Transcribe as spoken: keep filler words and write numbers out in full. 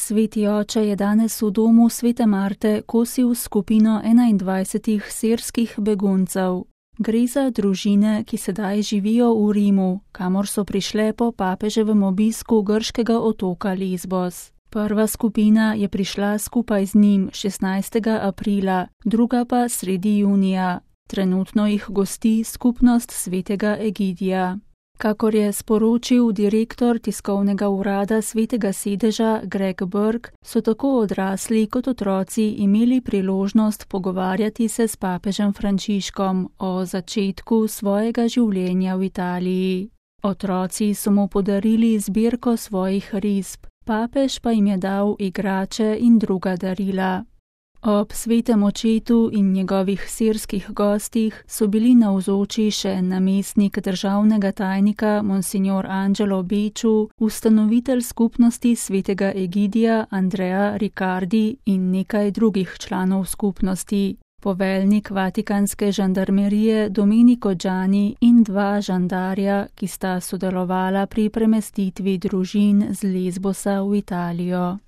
Sveti oče je danes v domu svete Marte kosil skupino enaindvajsetih sirskih beguncev. Gre za družine, ki sedaj živijo v Rimu, kamor so prišle po papeževem obisku grškega otoka Lesbos. Prva skupina je prišla skupaj z njim šestnajstega aprila, druga pa sredi junija. Trenutno jih gosti skupnost svetega Egidija. Kakor je sporočil direktor tiskovnega urada svetega sedeža Greg Burke, so tako odrasli kot otroci imeli priložnost pogovarjati se s papežem Frančiškom o začetku svojega življenja v Italiji. Otroci so mu podarili zbirko svojih risb, papež pa jim je dal igrače in druga darila. Ob svetem očetu in njegovih sirskih gostih so bili navzoči še namestnik državnega tajnika Monsignor Angelo Becciu, ustanovitelj skupnosti svetega Egidija Andrea Riccardi in nekaj drugih članov skupnosti, poveljnik vatikanske žandarmerije Domenico Gianni in dva žandarja, ki sta sodelovala pri premestitvi družin z Lesbosa v Italijo.